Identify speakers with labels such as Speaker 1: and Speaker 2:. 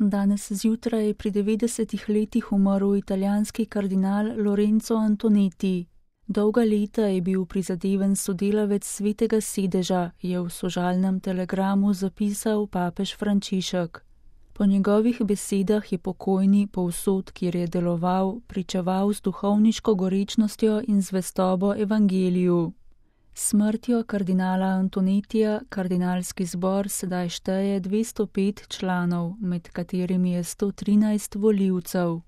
Speaker 1: Danes zjutraj je pri 90 letih umrl italijanski kardinal Lorenzo Antonetti. Dolga leta je bil prizadeven sodelavec Svetega sedeža, je v sožalnem telegramu zapisal papež Frančišek. Po njegovih besedah je pokojni povsod, kjer je deloval, pričeval z duhovniško gorečnostjo in zvestobo evangeliju. S smrtjo kardinala Antonettija kardinalski zbor sedaj šteje 205 članov, med katerimi je 113 volivcev.